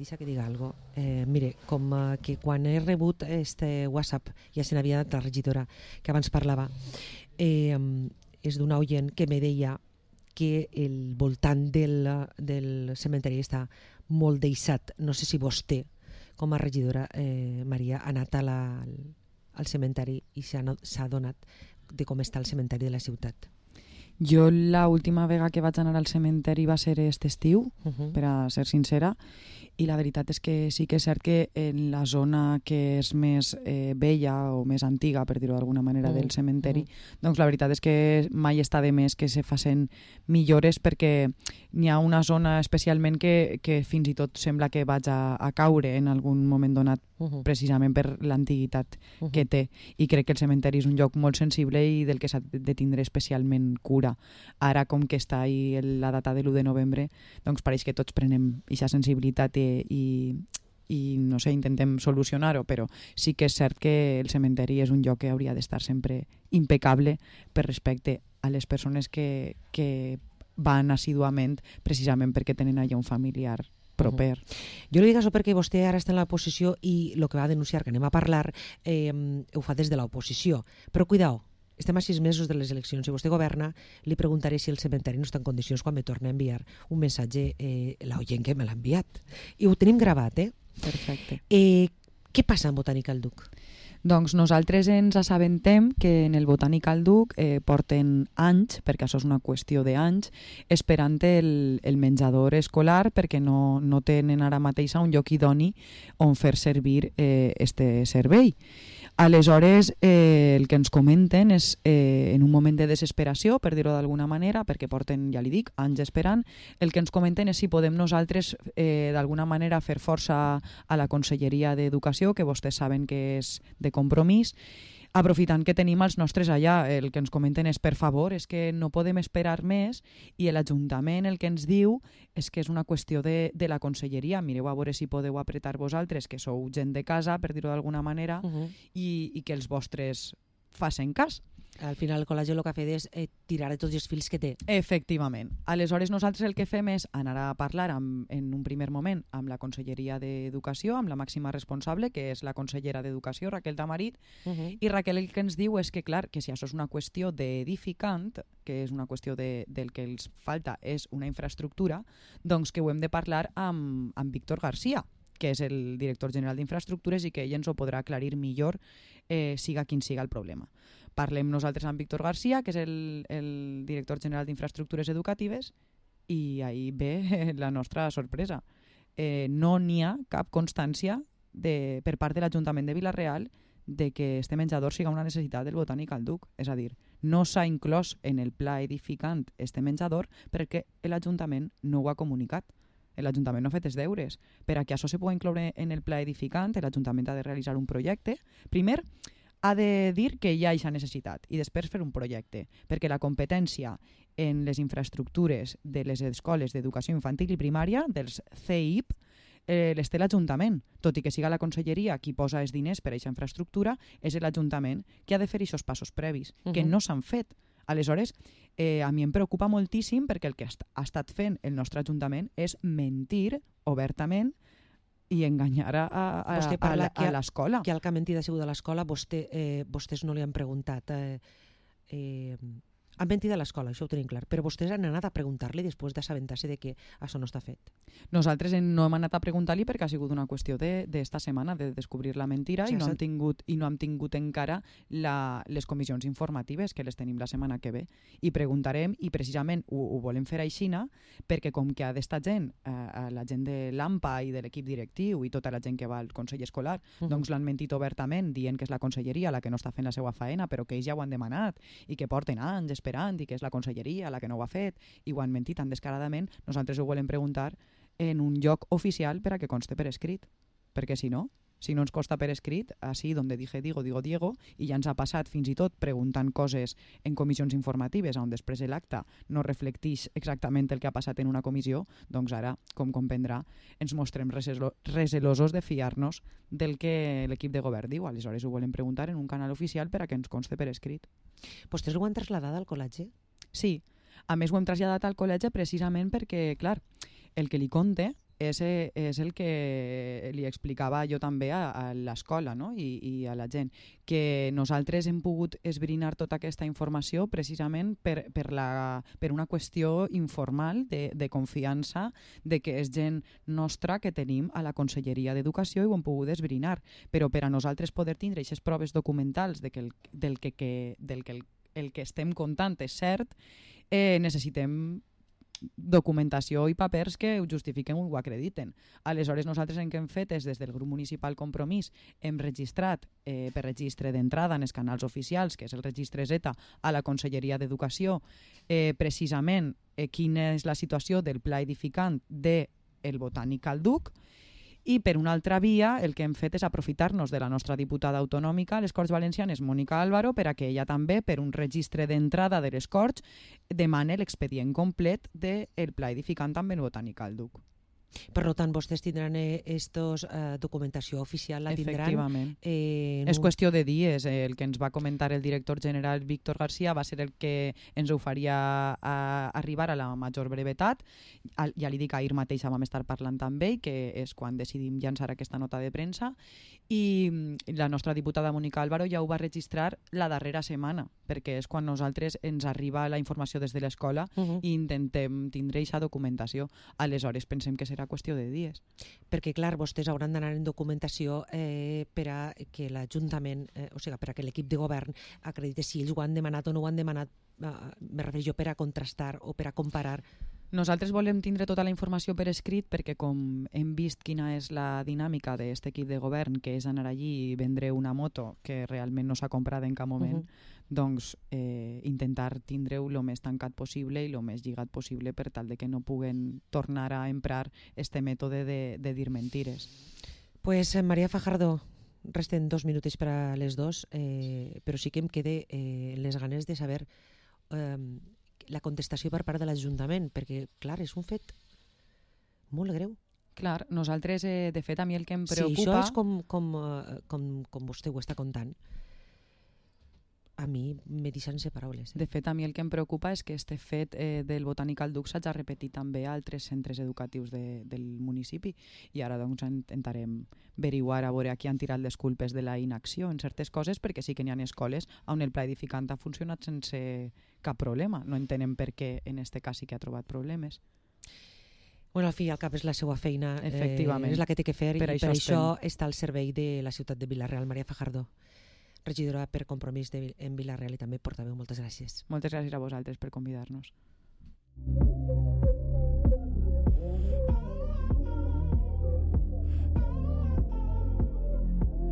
Deixa que diga algo. Mire, com que quan he rebut este WhatsApp ja se n'havia anat la regidora que abans parlava, és d'una oient que me deia que el voltant del cementeri està molt deixat. No sé si vostè, com a regidora, Maria, ha anat al cementeri i s'ha adonat de com està el cementeri de la ciutat. Jo l'última vegada que vaig anar al cementeri va ser aquest estiu, per a ser sincera, i la veritat és que sí que és cert que en la zona que és més vella o més antiga, per dir-ho d'alguna manera, del cementeri, doncs la veritat és que mai està de més que se facin millores, perquè n'hi ha una zona especialment que fins i tot sembla que vaig a caure en algun moment donat, precisament per l'antiguitat que té, i crec que el cementeri és un lloc molt sensible i del que s'ha de tindre especialment cura. Ara, com que està ahí la data de l'1 de novembre, doncs pareix que tots prenem aquesta sensibilitat i no sé, intentem solucionar-ho, però sí que és cert que el cementeri és un lloc que hauria d'estar sempre impecable per respecte a les persones que van assiduament precisament perquè tenen allà un familiar proper. Jo li dic això perquè vostè ara està en l'oposició i el que va denunciar, que anem a parlar, ho fa des de l'oposició. Però cuidao, estem a 6 mesos de les eleccions. Si vostè governa, li preguntaré si el cementeri no està en condicions quan me torna a enviar un missatge l'oient que me l'ha enviat. I ho tenim gravat, Perfecte. Què passa amb Botànica al Duc? Doncs nosaltres ens assabentem que en el Botànic al Duc porten anys, perquè això és una qüestió d'anys, esperant el menjador escolar perquè no tenen ara mateix un lloc idoni on fer servir este servei. Aleshores, el que ens comenten és, en un moment de desesperació, per dir-ho d'alguna manera, perquè porten, ja li dic, anys esperant, el que ens comenten és si podem nosaltres d'alguna manera fer força a la Conselleria d'Educació, que vostès saben que és de compromís, aprofitant que tenim els nostres allà. El que ens comenten és, per favor, és que no podem esperar més, i l'Ajuntament el que ens diu és que és una qüestió de la Conselleria. Mireu a veure si podeu apretar vosaltres, que sou gent de casa, per dir-ho d'alguna manera, i que els vostres facin cas. Al final el col·legi el que ha fet és tirar de tots els fils que té. Efectivament. Aleshores nosaltres el que fem és anar a parlar en un primer moment amb la Conselleria d'Educació, amb la màxima responsable, que és la consellera d'Educació, Raquel Tamarit, i Raquel el que ens diu és que, clar, que si això és una qüestió d'edificant, que és una qüestió del que els falta és una infraestructura, doncs que ho hem de parlar amb Víctor García, que és el director general d'Infraestructures, i que ell ens ho podrà aclarir millor, siga quin siga el problema. Parlem nosaltres amb Víctor García, que és el director general d'Infraestructures Educatives, i ahí ve la nostra sorpresa. No n'hi ha cap constància per part de l'Ajuntament de Vila-real de que este menjador siga una necessitat del Botànic al Duc. És a dir, no s'ha inclòs en el pla edificant este menjador perquè l'Ajuntament no ho ha comunicat. L'Ajuntament no ha fet els deures. Per a que això se pugui incloure en el pla edificant, l'Ajuntament ha de realitzar un projecte. Primer, ha de dir que hi ha aquesta necessitat i després fer un projecte, perquè la competència en les infraestructures de les escoles d'educació infantil i primària, dels CEIP, les té l'Ajuntament. Tot i que siga la Conselleria qui posa els diners per a aquesta infraestructura, és l'Ajuntament que ha de fer aquests passos previs, que no s'han fet. Aleshores, a mi em preocupa moltíssim perquè el que ha estat fent el nostre Ajuntament és mentir obertament i enganyar a l'escola. Que el que ha mentit ha sigut a l'escola, vostès no li han preguntat. Han mentit a l'escola, això ho tenim clar, però vostès han anat a preguntar-li després d'assabentar-se de que això no està fet. Nosaltres no hem anat a preguntar-li perquè ha sigut una qüestió d'esta setmana, de descobrir la mentira, i no hem tingut encara les comissions informatives, que les tenim la setmana que ve. I preguntarem, i precisament ho volem fer aixina, perquè com que ha d'estar gent, la gent de l'AMPA i de l'equip directiu i tota la gent que va al Consell Escolar, doncs l'han mentit obertament, dient que és la Conselleria la que no està fent la seva faena, però que ells ja ho han demanat i que porten anys esperant i que és la Conselleria la que no ho ha fet, i ho han mentit tan descaradament. Nosaltres ho volem preguntar en un lloc oficial per a que conste per escrit, perquè si no ens consta per escrit, així donde dije digo Diego, i ja ens ha passat fins i tot preguntant coses en comissions informatives on després l'acte no reflecteix exactament el que ha passat en una comissió, doncs ara, com comprendrà, ens mostrem recelosos de fiar-nos del que l'equip de govern diu. Aleshores ho volem preguntar en un canal oficial per a que ens conste per escrit. Vostès ho han traslladat al col·legi? Sí, a més ho hem traslladat al col·legi precisament perquè, clar, el que li conte és el que li explicava jo també a l'escola, no? I a la gent, que nosaltres hem pogut esbrinar tota aquesta informació precisament per una qüestió informal de confiança, de que és gent nostra que tenim a la Conselleria d'Educació i ho hem pogut esbrinar, però per a nosaltres poder tindre aquestes proves documentals de que el que estem contant és cert, necessitem documentació i papers que ho justifiquen o ho acrediten. Aleshores, nosaltres el que hem fet és, des del grup municipal Compromís, hem registrat per registre d'entrada en els canals oficials, que és el registre Z, a la Conselleria d'Educació, precisament quina és la situació del pla edificant del Botànic Calduc, i per una altra via el que hem fet és aprofitar-nos de la nostra diputada autonòmica a les Corts Valencianes, Mònica Álvaro, per a que ella també, per un registre d'entrada de les Corts, demane l'expedient complet del pla edificant amb el Botànic Calduc. Per tant, vostès tindran documentació oficial, la tindran... Efectivament. És qüestió de dies. El que ens va comentar el director general Víctor García va ser el que ens ho faria arribar a la major brevetat. Ja li dic, ahir mateix vam estar parlant amb ell, que és quan decidim llançar aquesta nota de premsa, i la nostra diputada Mònica Álvaro ja ho va registrar la darrera setmana, perquè és quan nosaltres ens arriba la informació des de l'escola i intentem tindre aquesta documentació. Aleshores pensem que serà qüestió de dies. Perquè, clar, vostès hauran d'anar en documentació per a que l'Ajuntament, o sigui, per a que l'equip de govern acredite si ells ho han demanat o no ho han demanat, me refereixo per a contrastar o per a comparar. Nosaltres volem tindre tota la informació per escrit perquè, com hem vist quina és la dinàmica d'aquest equip de govern, que és anar allí i vendre una moto que realment no s'ha comprat en cap moment, doncs intentar tindre-ho el més tancat possible i el més lligat possible per tal de que no puguen tornar a emprar este mètode de dir mentires. Pues Maria Fajardo, resten 2 minuts per a les 2, però sí que em quede les ganes de saber la contestació per part de l'Ajuntament, perquè, clar, és un fet molt greu. Clar, nosaltres, de fet, a mi el que em preocupa... Si això és com vostè ho està contant, a mi me deixa sense paraules. De fet, a mi el que em preocupa és que este fet del Botànic Calduc s'hagi repetit també a altres centres educatius del municipi, i ara doncs intentarem averiguar a veure a qui han tirat les culpes de la inacció en certes coses, perquè sí que n'hi ha escoles on el pla edificant ha funcionat sense cap problema. No entenem per què en este cas sí que ha trobat problemes. Bueno, al fi i al cap és la seva feina, és la que té que fer, i per això està al servei de la ciutat de Vila-real. Maria Fajardo, regidora per Compromís en Vila-real i també portaveu, moltes gràcies. Moltes gràcies a vosaltres per convidar-nos.